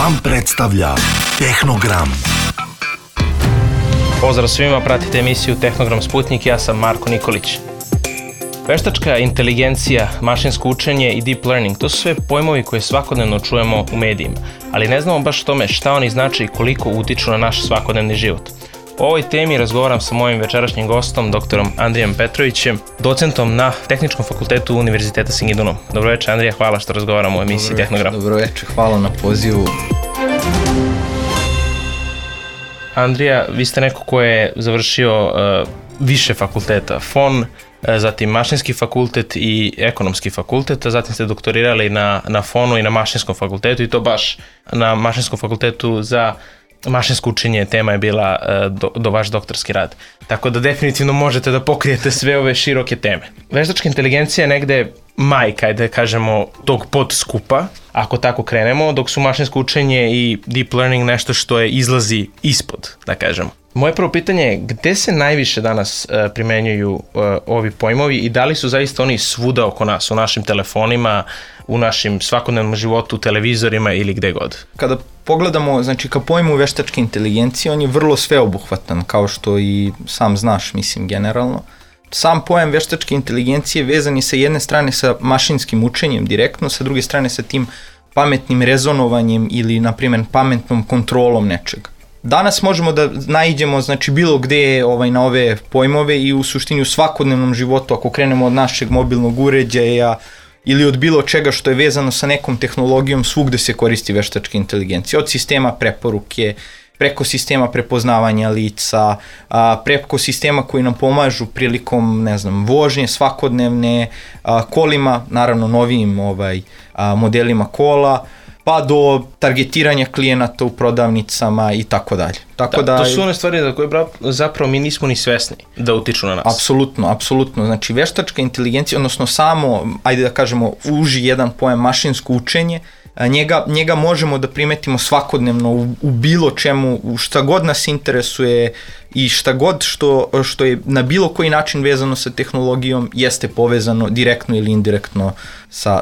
Vam predstavlja Tehnogram. Pozdrav svima, pratite emisiju Tehnogram Sputnik, ja sam Marko Nikolić. Veštačka inteligencija, mašinsko učenje i deep learning, to su sve pojmovi koje svakodnevno čujemo u medijima, ali ne znamo baš tome šta oni znače i koliko utiču na naš svakodnevni život. O ovoj temi razgovaram sa mojim večerašnjim gostom, doktorom Andrijem Petrovićem, docentom na Tehničkom fakultetu Univerziteta Singidunum. Dobro večer, Andrija, hvala što razgovaramo o emisiji Tehnogram. Dobro večer, hvala na pozivu. Andrija, vi ste neko ko je završio više fakulteta, FON, zatim mašinski fakultet i ekonomski fakultet, a zatim ste doktorirali na FON-u i na mašinskom fakultetu i to baš na mašinskom fakultetu za mašinsko učenje tema je bila do vaš doktorski rad. Tako da definitivno možete da pokrijete sve ove široke teme. Veštačka inteligencija je negde majka, da kažemo, tog podskupa, ako tako krenemo, dok su mašinsko učenje i deep learning nešto što je izlazi ispod, da kažemo. Moje prvo pitanje je gde se najviše danas primenjuju ovi pojmovi i da li su zaista oni svuda oko nas, u našim telefonima, u našim svakodnevnom životu, u televizorima ili gde god? Kada pogledamo, znači ka pojmu veštačke inteligencije, on je vrlo sveobuhvatan, kao što i sam znaš, mislim, generalno. Sam pojam veštačke inteligencije vezan je sa jedne strane sa mašinskim učenjem direktno, sa druge strane sa tim pametnim rezonovanjem ili, na primjer, pametnom kontrolom nečega. Danas možemo da naiđemo, znači, bilo gde na ove pojmove i u suštini u svakodnevnom životu, ako krenemo od našeg mobilnog uređaja ili od bilo čega što je vezano sa nekom tehnologijom, svugde se koristi veštačka inteligencija. Od sistema preporuke, preko sistema prepoznavanja lica, preko sistema koji nam pomažu prilikom, ne znam, vožnje svakodnevne, kolima, naravno novijim modelima kola, pa do targetiranja klijenata u prodavnicama i tako dalje. To su one stvari za koje zapravo mi nismo ni svesni da utiču na nas. Apsolutno. Znači, veštačka inteligencija, odnosno samo, ajde da kažemo, uži jedan pojam mašinsko učenje, njega možemo da primetimo svakodnevno u bilo čemu, u šta god nas interesuje i šta god što je na bilo koji način vezano sa tehnologijom jeste povezano direktno ili indirektno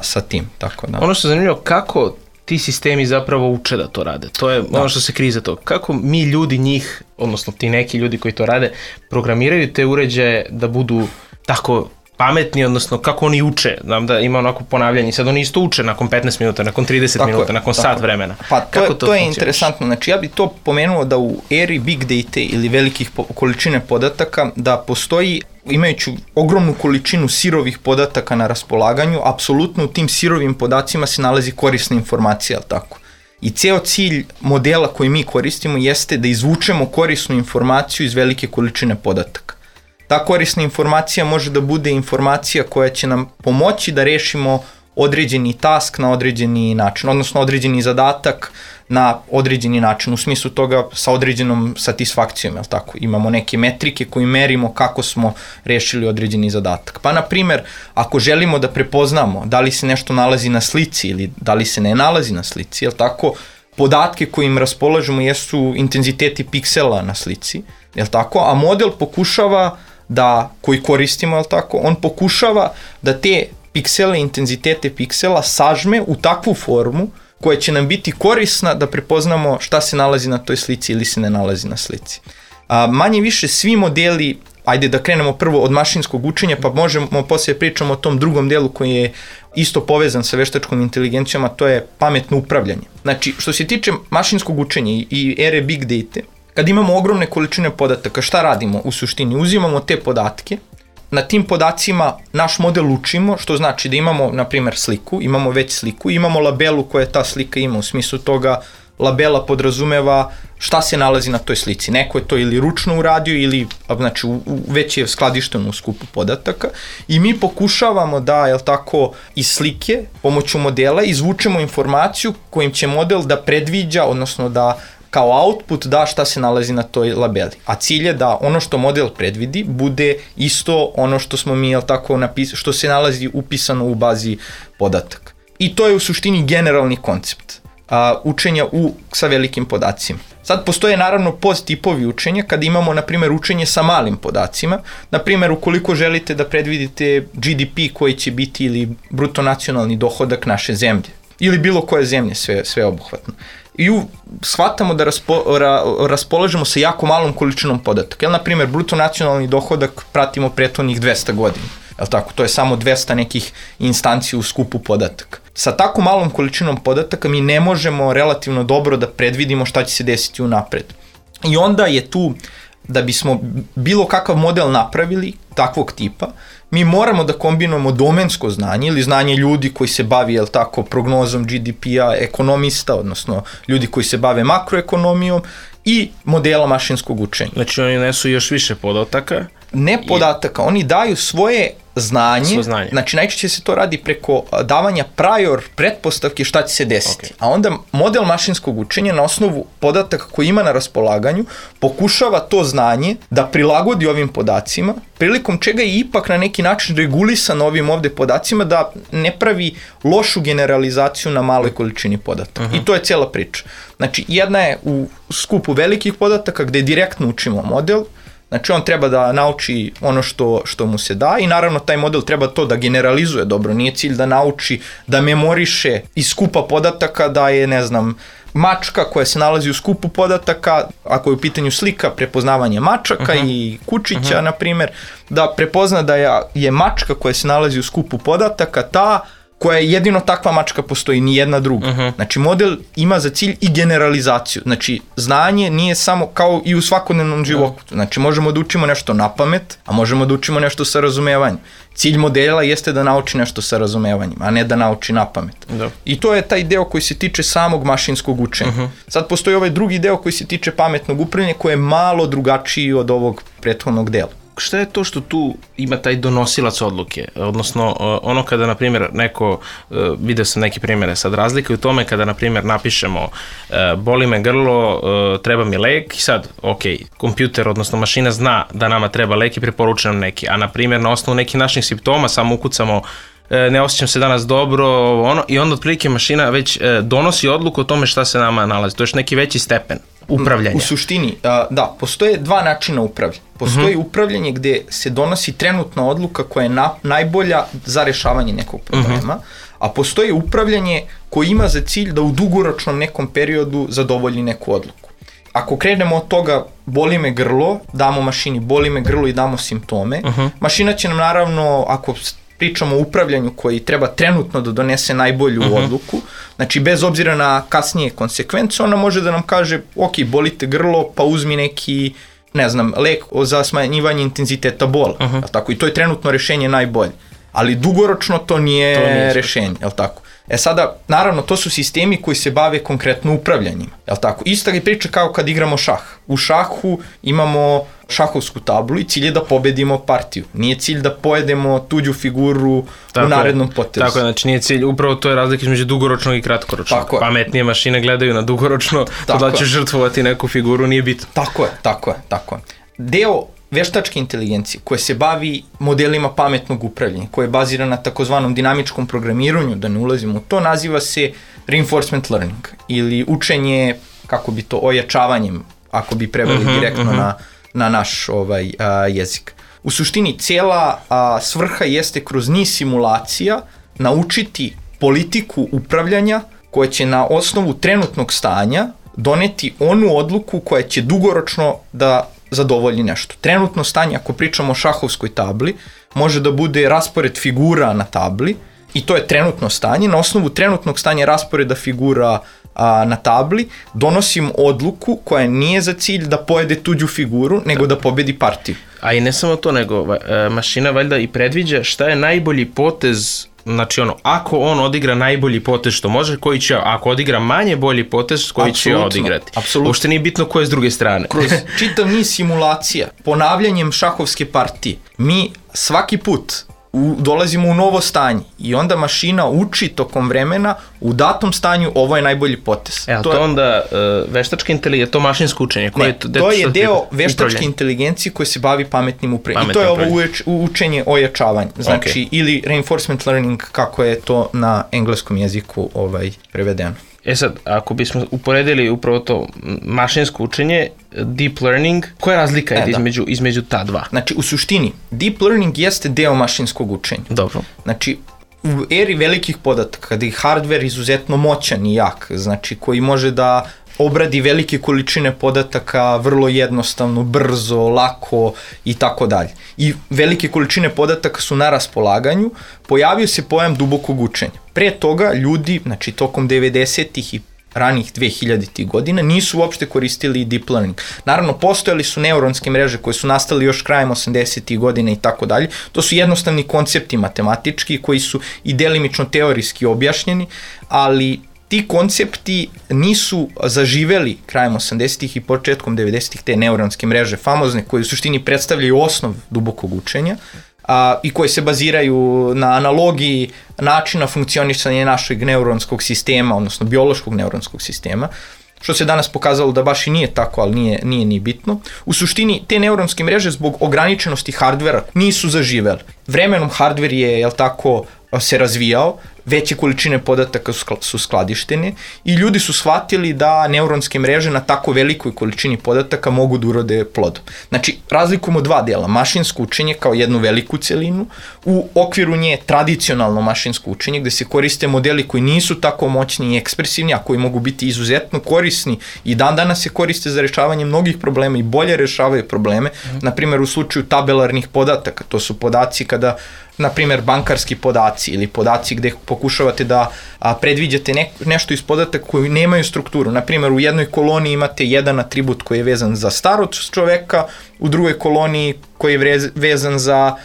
sa tim. Tako da. Ono što je zanimljivo, kako ti sistemi zapravo uče da to rade. To je ono što se krije za to. Kako mi ljudi njih, odnosno ti neki ljudi koji to rade, programiraju te uređaje da budu tako pametni, odnosno kako oni uče. Znam da ima onako ponavljanje. Sad oni isto uče nakon 15 minuta, nakon 30 minuta, nakon sat vremena. Pa to je interesantno. Znači ja bih to pomenuo da u eri big data ili velikih količine podataka da postoji, imajući ogromnu količinu sirovih podataka na raspolaganju, apsolutno u tim sirovim podacima se nalazi korisna informacija, ali tako. I ceo cilj modela koji mi koristimo jeste da izvučemo korisnu informaciju iz velike količine podataka. Ta korisna informacija može da bude informacija koja će nam pomoći da rešimo određeni task na određeni način, odnosno određeni zadatak na određeni način, u smislu toga sa određenom satisfakcijom, jel tako? Imamo neke metrike koje merimo kako smo rešili određeni zadatak. Pa, na primjer, ako želimo da prepoznamo da li se nešto nalazi na slici ili da li se ne nalazi na slici, jel tako? Podatke kojim raspolažemo jesu intenziteti piksela na slici, jel tako? A model pokušava koji koristimo, jel tako? On pokušava da te piksele, intenzitete piksela sažme u takvu formu koja će nam biti korisna da prepoznamo šta se nalazi na toj slici ili se ne nalazi na slici. Manje više svi modeli, ajde da krenemo prvo od mašinskog učenja, pa možemo poslije pričamo o tom drugom delu koji je isto povezan sa veštačkom inteligencijom, a to je pametno upravljanje. Znači, što se tiče mašinskog učenja i ere big data, kad imamo ogromne količine podataka, šta radimo u suštini? Uzimamo te podatke, na tim podacima naš model učimo, što znači da imamo, na primjer, sliku, imamo već sliku, imamo labelu koja ta slika ima, u smislu toga labela podrazumeva šta se nalazi na toj slici. Neko je to ili ručno uradio ili, znači, već je skladišteno u skupu podataka i mi pokušavamo da, jel tako, iz slike, pomoću modela, izvučemo informaciju kojim će model da predviđa, odnosno da kao output da šta se nalazi na toj labeli. A cilj je da ono što model predvidi bude isto ono što smo mi, jel tako, što se nalazi upisano u bazi podataka. I to je u suštini generalni koncept učenja sa velikim podacima. Sad postoje naravno podtipovi učenja kada imamo, na primjer, učenje sa malim podacima. Na primjer, ukoliko želite da predvidite GDP koji će biti ili bruto nacionalni dohodak naše zemlje ili bilo koje zemlje, sve obuhvatno. i shvatamo da raspolažemo sa jako malom količinom podataka. Na primjer, bruto nacionalni dohodak pratimo prethodnih 200 godina. Tako, to je samo 200 nekih instanci u skupu podataka. Sa tako malom količinom podataka mi ne možemo relativno dobro da predvidimo šta će se desiti unapred. I onda je tu, da bismo bilo kakav model napravili, takvog tipa, mi moramo da kombinujemo domensko znanje ili znanje ljudi koji se bavi, prognozom GDP-a, ekonomista, odnosno ljudi koji se bave makroekonomijom i modela mašinskog učenja. Znači oni nesu još više podataka? Ne podataka, oni daju svoje znanje, znači najčešće se to radi preko davanja prior pretpostavke šta će se desiti. A onda model mašinskog učenja na osnovu podataka koji ima na raspolaganju pokušava to znanje da prilagodi ovim podacima, prilikom čega je ipak na neki način regulisan ovim ovde podacima da ne pravi lošu generalizaciju na maloj količini podataka. I to je cijela priča. Znači jedna je u skupu velikih podataka gde direktno učimo model. Znači on treba da nauči ono što mu se da i naravno taj model treba to da generalizuje dobro, nije cilj da nauči, da memoriše iz skupa podataka da je, ne znam, mačka koja se nalazi u skupu podataka, ako je u pitanju slika, prepoznavanje mačaka i kučića, na primjer, da prepozna da je mačka koja se nalazi u skupu podataka ta koja je jedino takva mačka postoji, ni jedna druga. Znači model ima za cilj i generalizaciju. Znači znanje nije samo kao i u svakodnevnom životu. Znači možemo da učimo nešto na pamet, a možemo da učimo nešto sa razumevanjem. Cilj modela jeste da nauči nešto sa razumevanjem, a ne da nauči na pamet. I to je taj deo koji se tiče samog mašinskog učenja. Sad postoji ovaj drugi deo koji se tiče pametnog upravljanja koji je malo drugačiji od ovog prethodnog dela. Šta je to što tu ima taj donosilac odluke? Odnosno, ono kada, na primjer, neko, vidio sam neke primjere sad, razlika u tome kada, na primjer, napišemo boli me grlo, treba mi lek i sad, kompjuter, odnosno mašina zna da nama treba lek i preporuča nam neki, a na primjer, na osnovu nekih naših simptoma samo ukucamo ne osjećam se danas dobro, i onda otprilike mašina već donosi odluku o tome šta se nama nalazi. To je još neki veći stepen upravljanja. U suštini, da, postoje dva načina upravljanja. Postoji upravljanje gde se donosi trenutna odluka koja je najbolja za rešavanje nekog problema, a postoji upravljanje koje ima za cilj da u dugoročnom nekom periodu zadovolji neku odluku. Ako krenemo od toga boli me grlo, damo mašini boli me grlo i damo simptome, mašina će nam naravno, ako pričamo o upravljanju koji treba trenutno da donese najbolju odluku, znači bez obzira na kasnije konsekvence, ona može da nam kaže, boli te grlo, pa uzmi neki, ne znam, lek za smanjivanje intenziteta bola, tako, i to je trenutno rešenje najbolje, ali dugoročno to nije rešenje, jel tako? Sada, naravno, to su sistemi koji se bave konkretno upravljanjima, jel tako? Ista je priča kao kad igramo šah. U šahu imamo šahovsku tablu i cilj je da pobedimo partiju. Nije cilj da pojedemo tuđu figuru u narednom potezu. Tako je, znači nije cilj, upravo to je razlika između dugoročnog i kratkoročnog. Pametnije mašine gledaju na dugoročno, to da će žrtvovati neku figuru, nije bitno. Tako je. Deo veštačke inteligencije koje se bavi modelima pametnog upravljanja, koje je bazira na takozvanom dinamičkom programiranju, da ne ulazimo u to, naziva se reinforcement learning ili učenje, kako bi to, ojačavanjem, ako bi preveli direktno na naš jezik. U suštini, cijela svrha jeste kroz niz simulacija naučiti politiku upravljanja koja će na osnovu trenutnog stanja doneti onu odluku koja će dugoročno da zadovolji nešto. Trenutno stanje, ako pričamo o šahovskoj tabli, može da bude raspored figura na tabli i to je trenutno stanje. Na osnovu trenutnog stanja rasporeda figura na tabli donosim odluku koja nije za cilj da pojede tuđu figuru, nego da pobedi partiju. A i ne samo to, nego mašina valjda i predviđa šta je najbolji potez. Znači ako on odigra najbolji potez što može, koji će, ako odigra manje bolji potez, koji će odigrati. Apsolutno. Uopšte nije bitno ko je s druge strane. Kroz čitav niz simulacija, ponavljanjem šahovske partije, mi svaki put dolazimo u novo stanje i onda mašina uči tokom vremena u datom stanju ovo je najbolji potez. To je onda veštačka inteligencija, to mašinsko učenje? To je deo veštačke inteligencije koje se bavi pametnim upravljanjem. I to je ovo učenje ojačavanja, znači ili reinforcement learning, kako je to na engleskom jeziku prevedeno. Sad, ako bismo uporedili upravo to mašinsko učenje, deep learning, koja je razlika između ta dva? Znači, u suštini, deep learning jeste deo mašinskog učenja. Dobro. Znači, u eri velikih podataka, kada je hardware izuzetno moćan i jak, znači koji može da obradi velike količine podataka vrlo jednostavno, brzo, lako i tako dalje. I velike količine podataka su na raspolaganju, pojavio se pojam dubokog učenja. Pre toga ljudi, znači tokom 90-ih i ranih 2000-ih godina, nisu uopšte koristili deep learning. Naravno, postojali su neuronske mreže koje su nastali još krajem 80-ih godina i tako dalje. To su jednostavni koncepti matematički koji su i delimično teorijski objašnjeni, ali ti koncepti nisu zaživeli krajem 80-ih i početkom 90-ih, te neuronske mreže famozne koje u suštini predstavljaju osnov dubokog učenja i koje se baziraju na analogiji načina funkcionisanja našeg neuronskog sistema, odnosno biološkog neuronskog sistema, što se danas pokazalo da baš i nije tako, ali nije ni bitno. U suštini, te neuronske mreže zbog ograničenosti hardvera nisu zaživeli. Vremenom hardver je, jel tako, se razvijao, veće količine podataka su skladištene i ljudi su shvatili da neuronske mreže na tako velikoj količini podataka mogu da urode plodom. Znači, razlikujemo dva dela, mašinsko učenje kao jednu veliku celinu, u okviru nje tradicionalno mašinsko učenje gde se koriste modeli koji nisu tako moćni i ekspresivni, a koji mogu biti izuzetno korisni i dan danas se koriste za rešavanje mnogih problema i bolje rešavaju probleme, na primjer u slučaju tabelarnih podataka, to su podaci kada na primjer bankarski podaci ili podaci gde pokušavate da predviđate nešto iz podataka koji nemaju strukturu. Na primjer, u jednoj koloniji imate jedan atribut koji je vezan za starost čoveka, u drugoj koloniji koji je vezan za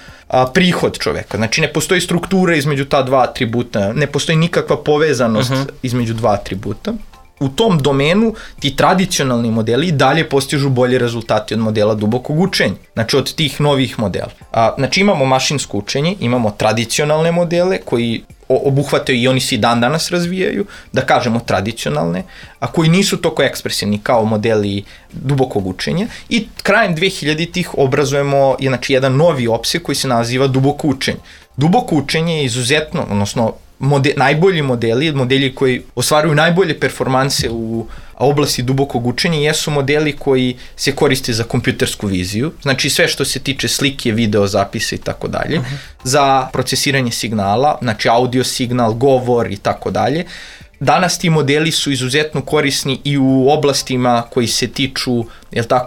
prihod čoveka. Znači, ne postoji struktura između ta dva atributa, ne postoji nikakva povezanost između dva atributa. U tom domenu ti tradicionalni modeli dalje postižu bolje rezultati od modela dubokog učenja, znači od tih novih modela. Znači imamo mašinsko učenje, imamo tradicionalne modele koji obuhvataju i oni se i dan danas razvijaju, da kažemo tradicionalne, a koji nisu toliko ekspresivni kao modeli dubokog učenja i krajem 2000-ih obrazujemo jedan novi opseg koji se naziva duboko učenje. Duboko učenje je izuzetno, odnosno najbolji modeli koji ostvaruju najbolje performanse u oblasti dubokog učenja jesu modeli koji se koriste za kompjutersku viziju, znači sve što se tiče slike, video, zapisa i tako dalje, za procesiranje signala, znači audio signal, govor i tako dalje. Danas ti modeli su izuzetno korisni i u oblastima koji se tiču,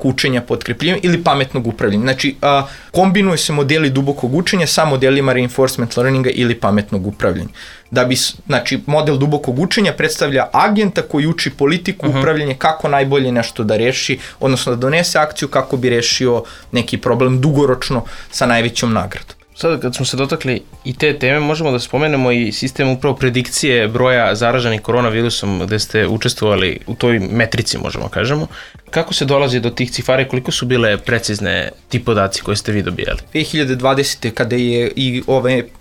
učenja potkrepljivanjem ili pametnog upravljanja. Znači, kombinuju se modeli dubokog učenja sa modelima reinforcement learninga ili pametnog upravljanja. Znači, model dubokog učenja predstavlja agenta koji uči politiku upravljanja kako najbolje nešto da reši, odnosno da donese akciju kako bi rešio neki problem dugoročno sa najvećom nagradom. Sada kad smo se dotakli i te teme, možemo da spomenemo i sistem upravo predikcije broja zaraženih koronavirusom gde ste učestvovali u toj metrici, možemo kažemo. Kako se dolazi do tih cifara i koliko su bile precizne ti podaci koje ste vi dobijali? 2020. kada je i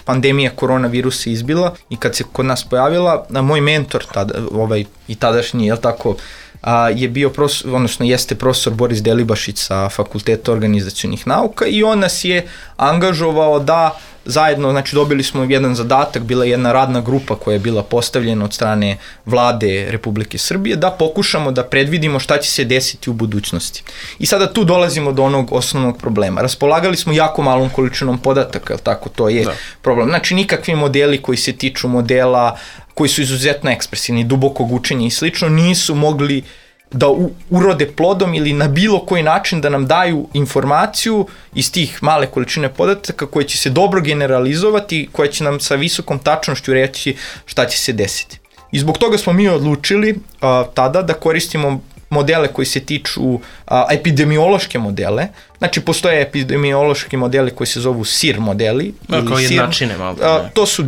pandemija koronavirusa izbila i kad se kod nas pojavila, moj mentor i tadašnji, je bio jeste profesor Boris Delibašić sa Fakulteta organizacionih nauka i on nas je angažovao da zajedno, znači dobili smo jedan zadatak, bila je jedna radna grupa koja je bila postavljena od strane vlade Republike Srbije da pokušamo da predvidimo šta će se desiti u budućnosti. I sada tu dolazimo do onog osnovnog problema. Raspolagali smo jako malom količinom podataka, to je problem. Znači nikakvi modeli koji se tiču modela koji su izuzetno ekspresivni, dubokog učenja i slično, nisu mogli da urode plodom ili na bilo koji način da nam daju informaciju iz tih male količine podataka koje će se dobro generalizovati, koje će nam sa visokom tačnošću reći šta će se desiti. I zbog toga smo mi odlučili tada da koristimo modele koji se tiču epidemiološke modele. Znači, postoje epidemiološki modeli koji se zovu SIR modeli. Kao jednačine malo. To su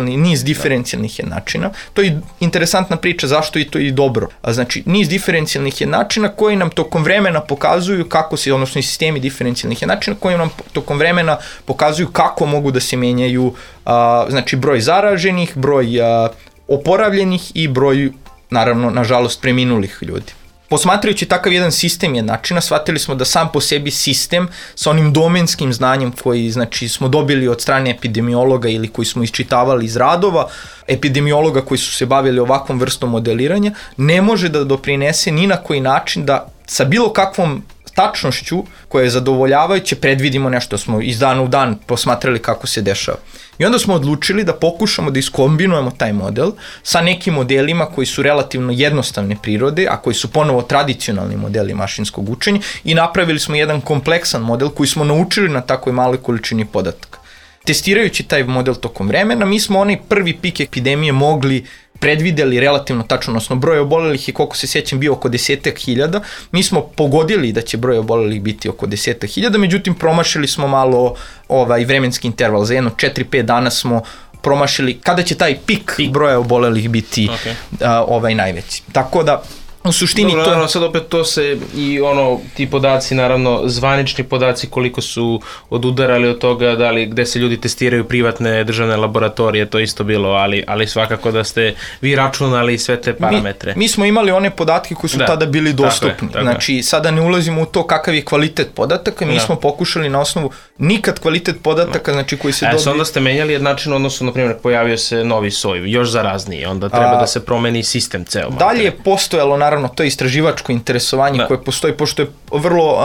niz diferencijalnih jednačina. To je interesantna priča zašto je to i dobro. Znači, niz diferencijalnih jednačina koji nam tokom vremena pokazuju kako se, odnosno i sistemi diferencijalnih jednačina koji nam tokom vremena pokazuju kako mogu da se menjaju znači, broj zaraženih, broj oporavljenih i broj, naravno, nažalost, preminulih ljudi. Posmatrajući takav jedan sistem jednačina, shvatili smo da sam po sebi sistem sa onim domenskim znanjem koji smo dobili od strane epidemiologa ili koji smo iščitavali iz radova epidemiologa koji su se bavili ovakvom vrstom modeliranja, ne može da doprinese ni na koji način da sa bilo kakvom tačnošću koja je zadovoljavajuće predvidimo nešto, smo iz dana u dan posmatrali kako se dešava. I onda smo odlučili da pokušamo da iskombinujemo taj model sa nekim modelima koji su relativno jednostavne prirode, a koji su ponovo tradicionalni modeli mašinskog učenja i napravili smo jedan kompleksan model koji smo naučili na takvoj maloj količini podataka. Testirajući taj model tokom vremena, mi smo onaj prvi pik epidemije predvideli relativno tačno, odnosno broj obolelih je, koliko se sjećam, bio oko 10.000. Mi smo pogodili da će broj obolelih biti oko 10.000, međutim promašili smo malo vremenski interval. Za jedno 4-5 dana smo promašili kada će taj pik broja obolelih biti najveći. Tako da u suštini dobro, naravno, sad opet to se i ti podaci, naravno zvanični podaci koliko su odudarali od toga, gde se ljudi testiraju, privatne državne laboratorije, to isto bilo, ali svakako da ste vi računali sve te parametre. Mi smo imali one podatke koji su tada bili dostupni. Tako je. Znači, sada ne ulazimo u to kakav je kvalitet podataka, mi smo pokušali na osnovu nikad kvalitet podataka, znači koji se dobije. Onda ste menjali jednačin, odnosno, na primjer, pojavio se novi soj, još zarazniji, onda treba da se promeni sistem ceo. Dalje je postojalo, naravno, to je istraživačko interesovanje koje postoji, pošto je vrlo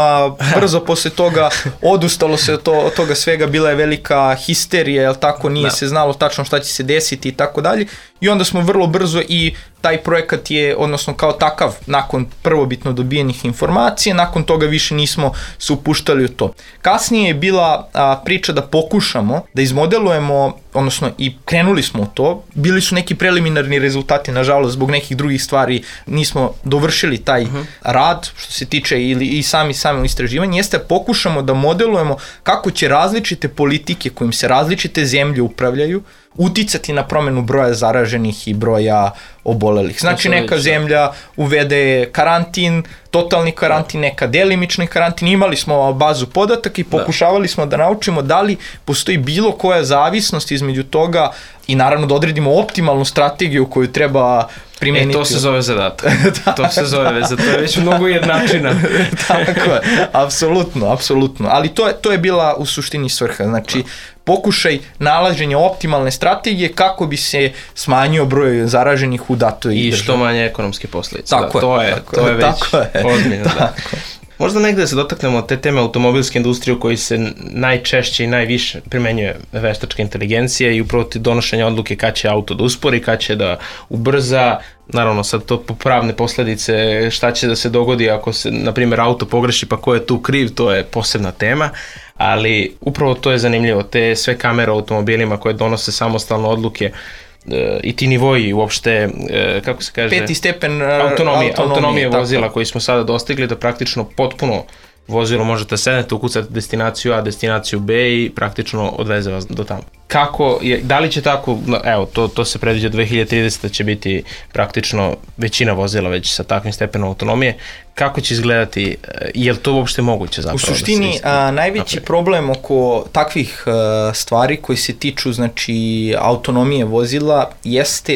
brzo posle toga odustalo se od toga svega, bila je velika histerija, jel tako, nije se znalo tačno šta će se desiti i tako dalje, i onda smo vrlo brzo i taj projekat je, odnosno kao takav, nakon prvobitno dobijenih informacija, nakon toga više nismo se upuštali u to. Kasnije je bila priča da pokušamo da izmodelujemo, odnosno i krenuli smo u to, bili su neki preliminarni rezultati, nažalost, zbog nekih drugih stvari nismo dovršili taj rad, što se tiče i samo istraživanje, jeste pokušamo da modelujemo kako će različite politike kojim se različite zemlje upravljaju uticati na promenu broja zaraženih i broja obolelih. Znači, neka zemlja uvede karantin, totalni karantin, neka delimični karantin, imali smo bazu podataka i pokušavali smo da naučimo da li postoji bilo koja zavisnost između toga i naravno da odredimo optimalnu strategiju koju treba primeniti. To se zove zadatak. To se zove, to je već mnogo jednačina. Tako je, apsolutno. Ali to je bila u suštini svrha. Znači, pokušaj nalaženja optimalne strategije kako bi se smanjio broj zaraženih u datoj državi. I što manje ekonomske posljedice. To je već ozbiljno. Možda negde da se dotaknemo te teme automobilske industrije u kojoj se najčešće i najviše primenjuje veštačka inteligencija i upravo ti donošenja odluke kad će auto da uspori, kad će da ubrza. Naravno, sad to po pravne posljedice, šta će da se dogodi ako se, na primjer, auto pogreši, pa ko je tu kriv, to je posebna tema, ali upravo to je zanimljivo, te sve kamere u automobilima koje donose samostalno odluke i ti nivoji uopšte, kako se kaže, 5. stepen autonomije vozila koji smo sada dostigli, da praktično potpuno vozilo možete sednete, ukucati destinaciju A, destinaciju B i praktično odveze vas do tamo. Kako je, da li će tako, evo, to se predviđa 2030 da će biti praktično većina vozila već sa takvim stepenom autonomije, kako će izgledati, je li to uopšte moguće zapravo? U suštini, najveći problem oko takvih stvari koji se tiču, znači, autonomije vozila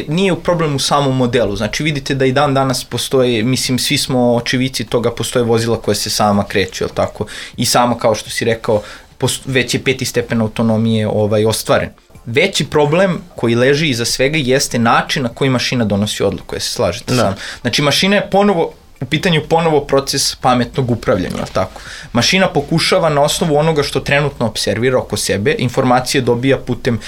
nije u problemu u samom modelu. Znači, vidite da i dan danas postoje, mislim, svi smo očevici toga, postoje vozila koje se sama kreću, jel tako? I sama, kao što si rekao, već je 5. stepen autonomije ostvaren. Veći problem koji leži iza svega jeste način na koji mašina donosi odluku, se slažete sam. Znači, mašina je u pitanju ponovo proces pametnog upravljanja, tako. Mašina pokušava na osnovu onoga što trenutno observira oko sebe, informacije dobija putem,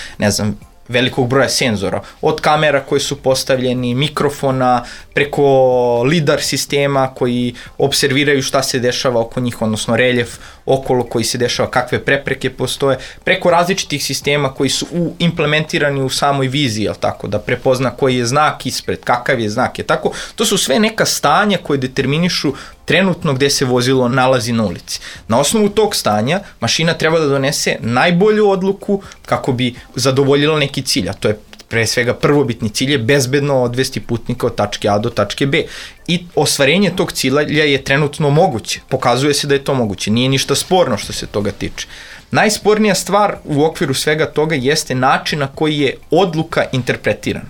velikog broja senzora, od kamera koje su postavljeni, mikrofona, preko lidar sistema koji observiraju šta se dešava oko njih, odnosno reljef okolo koji se dešava, kakve prepreke postoje, preko različitih sistema koji su implementirani u samoj viziji, tako, da prepozna koji je znak ispred, kakav je znak, je tako. To su sve neka stanja koje determinišu trenutno gde se vozilo nalazi na ulici. Na osnovu tog stanja mašina treba da donese najbolju odluku kako bi zadovoljila neki cilj, a to je pre svega prvobitni cilj je bezbedno odvesti putnika od tačke A do tačke B. I ostvarenje tog cilja je trenutno moguće. Pokazuje se da je to moguće. Nije ništa sporno što se toga tiče. Najspornija stvar u okviru svega toga jeste način na koji je odluka interpretirana.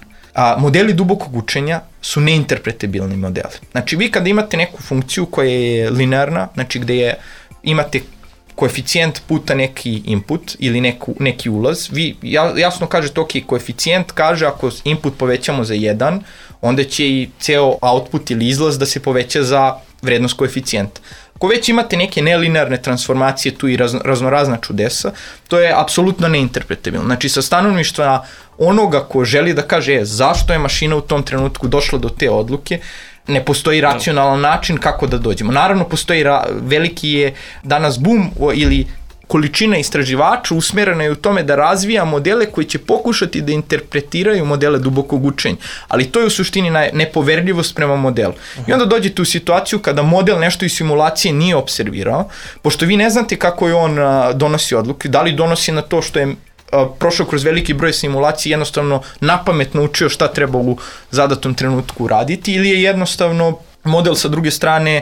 Modeli dubokog učenja su neinterpretabilni modeli. Znači, vi kada imate neku funkciju koja je linearna, znači gde imate koeficijent puta neki input ili neki ulaz, vi jasno kažete, ok, koeficijent kaže ako input povećamo za 1, onda će i ceo output ili izlaz da se poveća za vrednost koeficijenta. Ako već imate neke nelinearne transformacije tu i raznorazna čudesa, to je apsolutno neinterpretabilno. Znači, sa stanovišta onoga ko želi da kaže zašto je mašina u tom trenutku došla do te odluke, ne postoji racionalan način kako da dođemo. Naravno, postoji veliki je danas boom ili količina istraživača usmerena je u tome da razvija modele koji će pokušati da interpretiraju modele dubokog učenja. Ali to je u suštini nepoverljivost prema modelu. I onda dođete u situaciju kada model nešto iz simulacije nije observirao, pošto vi ne znate kako je on donosi odluke, da li donosi na to što je prošao kroz veliki broj simulacija i jednostavno napametno učio šta treba u zadatom trenutku raditi, ili je jednostavno model sa druge strane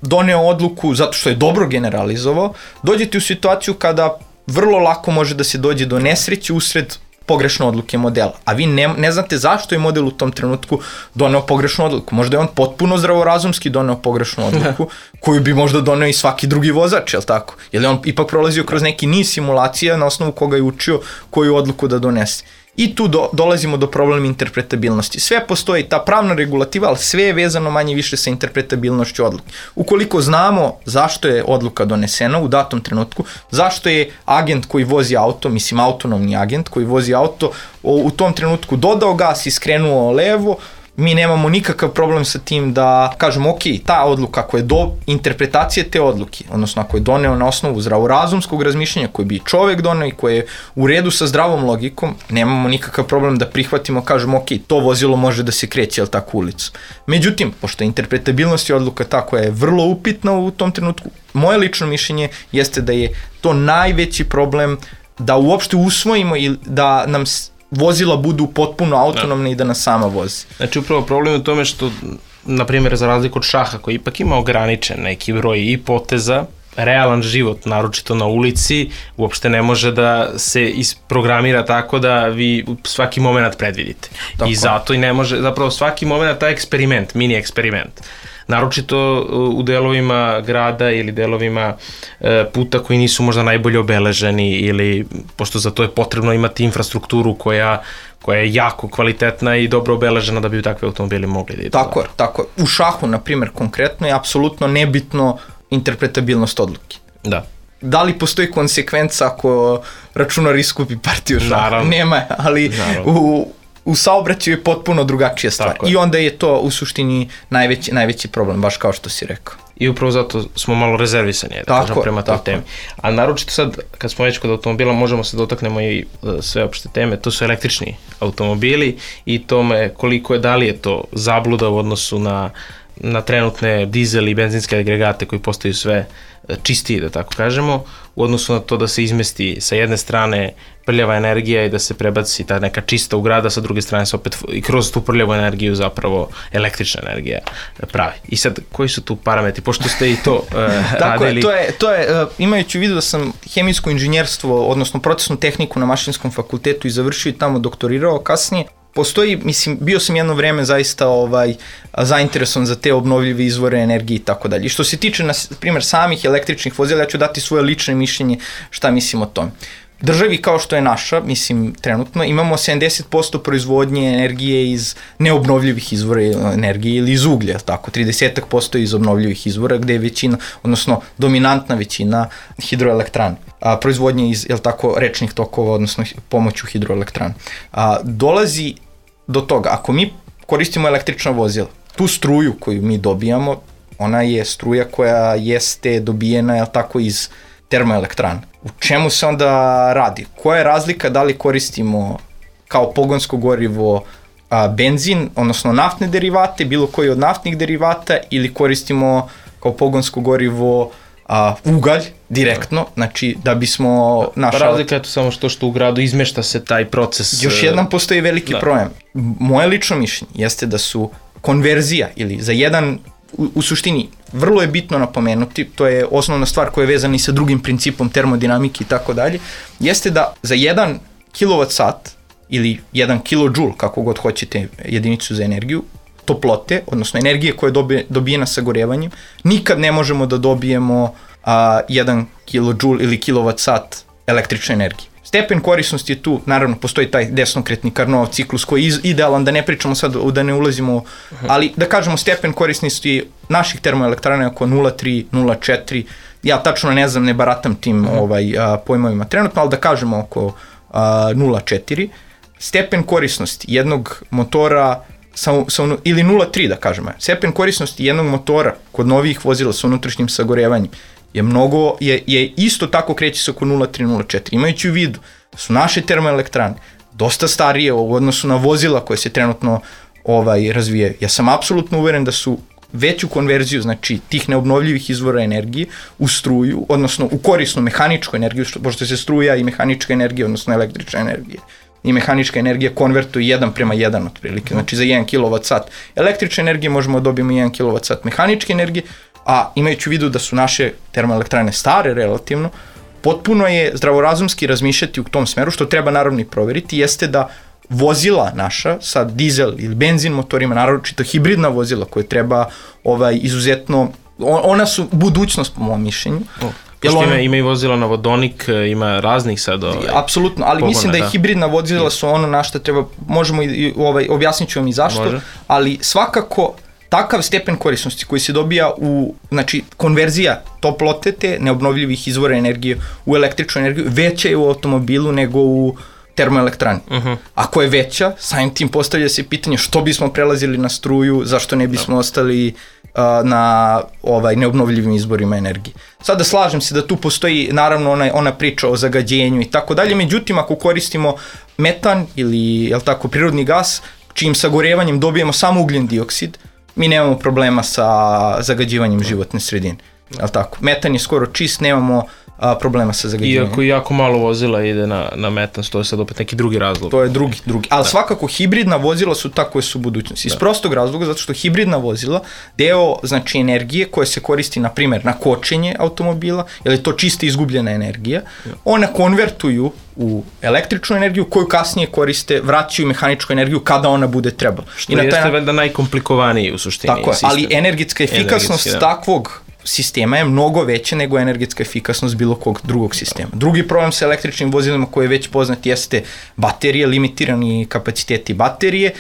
doneo odluku zato što je dobro generalizovao. Dođete u situaciju kada vrlo lako može da se dođe do nesreće usred pogrešne odluke modela, a vi ne znate zašto je model u tom trenutku doneo pogrešnu odluku. Možda je on potpuno zdravorazumski doneo pogrešnu odluku, koju bi možda doneo i svaki drugi vozač, je li tako? Jer je on ipak prolazio kroz neki niz simulacija na osnovu koga je učio koju odluku da donese. I tu dolazimo do problema interpretabilnosti. Sve postoji, ta pravna regulativa, ali sve je vezano manje više sa interpretabilnošću odluke. Ukoliko znamo zašto je odluka donesena u datom trenutku, zašto je agent koji vozi auto, mislim autonomni agent koji vozi auto, u tom trenutku dodao gas i skrenuo levo, mi nemamo nikakav problem sa tim da kažemo ok, ta odluka ako je do interpretacije te odluke, odnosno ako je doneo na osnovu zdravorazumskog razmišljanja koji bi čovek doneo i koje je u redu sa zdravom logikom, nemamo nikakav problem da prihvatimo, kažemo ok, to vozilo može da se kreće, jel tako, ulicu. Međutim, pošto interpretabilnost je odluka ta koja je vrlo upitna u tom trenutku, moje lično mišljenje jeste da je to najveći problem da uopšte usvojimo i da nam vozila budu potpuno autonomne i da nas sama vozi. Znači, upravo problem je u tome što, na primjer, za razliku od šaha, koji ipak ima ograničen neki broj i poteza, realan život, naročito na ulici, uopšte ne može da se isprogramira tako da vi svaki moment predvidite. Tako. I zato i ne može, zapravo svaki moment taj eksperiment, mini eksperiment. Naročito u delovima grada ili delovima puta koji nisu možda najbolje obeleženi ili, pošto za to je potrebno imati infrastrukturu koja je jako kvalitetna i dobro obeležena da bi takve automobili mogli da idu. Tako je, tako je. U šahu, na primjer, konkretno je apsolutno nebitno interpretabilnost odluke. Da. Da li postoji konsekvenca ako računar iskupi partiju šaha? Naravno. Nema, ali u saobraćaju je potpuno drugačija stvar. I onda je to u suštini najveći problem, baš kao što si rekao. I upravo zato smo malo rezervisani, da kažem, prema toj temi. A naročito sad, kad smo već kod automobila, možemo se dotaknemo i sve opšte teme, to su električni automobili i tome koliko je, da li je to zabluda u odnosu na trenutne dizel i benzinske agregate koji postaju sve čistiji, da tako kažemo, u odnosu na to da se izmesti sa jedne strane prljava energija i da se prebaci ta neka čista u grada, sa druge strane se opet i kroz tu prljavu energiju zapravo električna energija pravi. I sad, koji su tu parametri? Pošto ste i to radili... To je, imajući u vidu da sam hemijsko inženjerstvo, odnosno procesnu tehniku na Mašinskom fakultetu i završio i tamo doktorirao kasnije, postoji, mislim, bio sam jedno vreme zaista zainteresovan za te obnovljive izvore energije i tako dalje. I što se tiče, na primjer, samih električnih vozila, ja ću dati svoje lično mišljenje šta mislim o tome. Državi kao što je naša, mislim, trenutno, imamo 70% proizvodnje energije iz neobnovljivih izvora energije ili iz uglja, tako, 30% iz obnovljivih izvora, gde je većina, odnosno dominantna većina hidroelektrana. Proizvodnje iz, jel tako, rečnih tokova, odnosno pomoću hidroelektrana. Dolazi do toga, ako mi koristimo električna vozila, tu struju koju mi dobijamo, ona je struja koja jeste dobijena, jel tako, iz termoelektrana. U čemu se onda radi? Koja je razlika da li koristimo kao pogonsko gorivo benzin, odnosno naftne derivate, bilo koji od naftnih derivata, ili koristimo kao pogonsko gorivo ugalj direktno, znači da bismo... Razlika je to samo što u gradu izmešta se taj proces... Još jedan postoji veliki problem. Moje lično mišljenje jeste da su konverzija ili za jedan, u suštini, vrlo je bitno napomenuti, to je osnovna stvar koja je vezana i sa drugim principom termodinamike i tako dalje, jeste da za 1 kWh ili 1 kJ, kako god hoćete jedinicu za energiju, toplote, odnosno energije koja je dobijena sagorevanjem, nikad ne možemo da dobijemo 1 kJ ili kWh električne energije. S stepen korisnosti je tu, naravno postoji taj desnokretni Carnot ciklus koji je idealan, da ne pričamo sad, da ne ulazimo, ali da kažemo stepen korisnosti naših termoelektrana je oko 0,3, 0,4, ja tačno ne znam, ne baratam tim pojmovima trenutno, ali da kažemo oko 0,4. Stepen korisnosti jednog motora ili 0,3 da kažemo. Stepen korisnosti jednog motora kod novih vozila sa unutrašnjim sagorevanjem je isto tako kreće se oko 0,3, 0,4. Imajući u vidu da su naše termoelektrane dosta starije u odnosu na vozila koje se trenutno razvijaju. Ja sam apsolutno uveren da su veću konverziju, znači tih neobnovljivih izvora energije u struju, odnosno u korisnu mehaničku energiju, pošto se struja i mehanička energija, odnosno električna energija i mehanička energija konvertuje 1:1 otprilike, znači za 1 kWh električne energije možemo dobijemo 1 kWh mehaničke energije, a imajući u vidu da su naše termoelektrane stare relativno, potpuno je zdravorazumski razmišljati u tom smeru, što treba naravno i proveriti, jeste da vozila naša sa dizel ili benzin motorima, naročito hibridna vozila koje treba izuzetno, ona su budućnost po mom mišljenju. Ima i vozila na vodonik, ima raznih sad apsolutno, ali mislim da i hibridna vozila su ono na što treba, možemo objasnit ću vam i zašto, ali svakako takav stepen korisnosti koji se dobija znači konverzija toplote te neobnovljivih izvora energije u električnu energiju veća je u automobilu nego u termoelektrani. Ako je veća, samim tim postavlja se pitanje što bismo prelazili na struju, zašto ne bismo ostali na neobnovljivim izborima energije. Sada slažem se da tu postoji naravno ona priča o zagađenju i tako dalje, međutim ako koristimo metan ili prirodni gas, čijim sagorevanjem dobijemo samo ugljen dioksid, mi nemamo problema sa zagađivanjem životne sredine. Metan je skoro čist, nemamo problema sa zagađivanjem. Iako jako malo vozila ide na metan, to je sad opet neki drugi razlog. To je drugi. Ali svakako hibridna vozila su ta koje su budućnosti. Iz prostog razloga, zato što hibridna vozila, deo znači energije koja se koristi na primjer na kočenje automobila, jer je to čista izgubljena energija, ona konvertuju u električnu energiju koju kasnije koriste, vraćaju mehaničku energiju kada ona bude trebala. Što jeste valjda najkomplikovaniji u suštini. Tako je, ali energetska efikasnost takvog sistema je mnogo veća nego energetska efikasnost bilo kog drugog sistema. Drugi problem sa električnim vozilima koji je već poznat jeste baterije, limitirani kapaciteti baterije.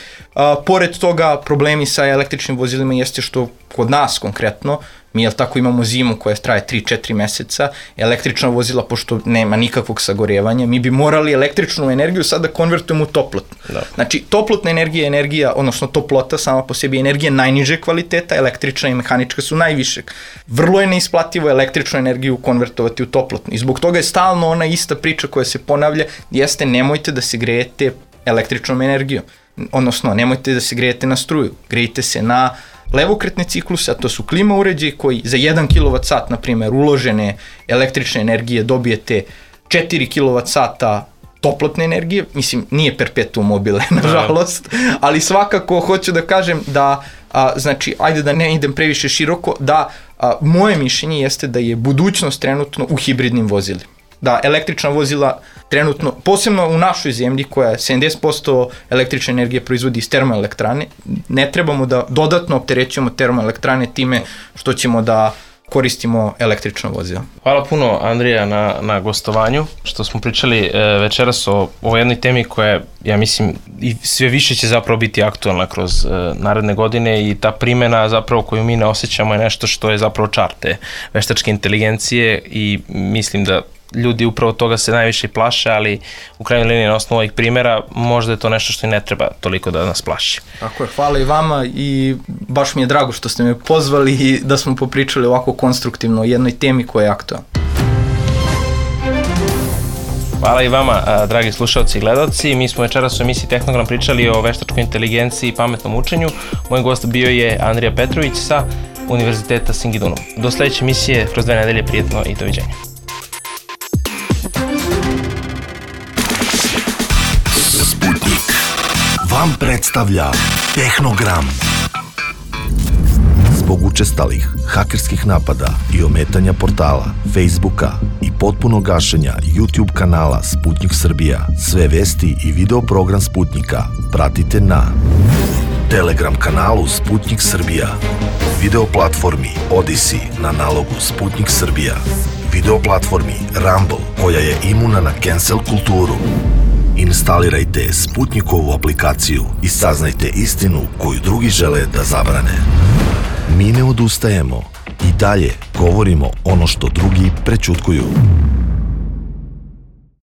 Pored toga problemi sa električnim vozilima jeste što kod nas konkretno, mi imamo zimu koja traje 3-4 meseca, električna vozila pošto nema nikakvog sagorevanja, mi bi morali električnu energiju sad da konvertujemo u toplotnu. Znači toplotna energija je energija, odnosno toplota sama po sebi je energija najniže kvaliteta, električna i mehanička su najvišeg. Vrlo je neisplativo električnu energiju konvertovati u toplotnu i zbog toga je stalno ona ista priča koja se ponavlja, jeste nemojte da se grejete električnom energijom, odnosno nemojte da se grejete na struju, grejte se na levokretne cikluse, a to su klima uređaji koji za 1 kWh, na primjer, uložene električne energije dobijete 4 kWh toplotne energije, mislim, nije perpetuum mobile, nažalost, ali svakako hoću da kažem da, znači, ajde da ne idem previše široko, da moje mišljenje jeste da je budućnost trenutno u hibridnim vozilima. Da električna vozila trenutno, posebno u našoj zemlji koja 70% električne energije proizvodi iz termoelektrane, ne trebamo da dodatno opterećujemo termoelektrane time što ćemo da koristimo električna vozila. Hvala puno Andrija na gostovanju, što smo pričali večeras o jednoj temi koja, ja mislim, i sve više će zapravo biti aktualna kroz naredne godine i ta primjena zapravo koju mi ne osjećamo je nešto što je zapravo čar te veštačke inteligencije i mislim da ljudi upravo toga se najviše plaše, ali u krajnjoj liniji na osnovu ovih primjera možda je to nešto što i ne treba toliko da nas plaši. Tako je, hvala i vama i baš mi je drago što ste me pozvali i da smo popričali ovako konstruktivno o jednoj temi koja je aktualna. Hvala i vama, dragi slušalci i gledalci. Mi smo večeras u emisiji Tehnogram pričali o veštačkoj inteligenciji i pametnom učenju. Moj gost bio je Andrija Petrović sa Univerziteta Singidunum. Do sledeće emisije kroz 2 nedelje, prijetno i doviđenja. Vam predstavlja Tehnogram. Zbog učestalih hakerskih napada i ometanja portala, Facebooka i potpunog gašenja YouTube kanala Sputnik Srbija, sve vesti i video program Sputnika pratite na Telegram kanalu Sputnik Srbija, video platformi Odyssey na nalogu Sputnik Srbija, video platformi Rumble, koja je imuna na cancel kulturu. Instalirajte Sputnikovu aplikaciju i saznajte istinu koju drugi žele da zabrane. Mi ne odustajemo i dalje govorimo ono što drugi prećutkuju.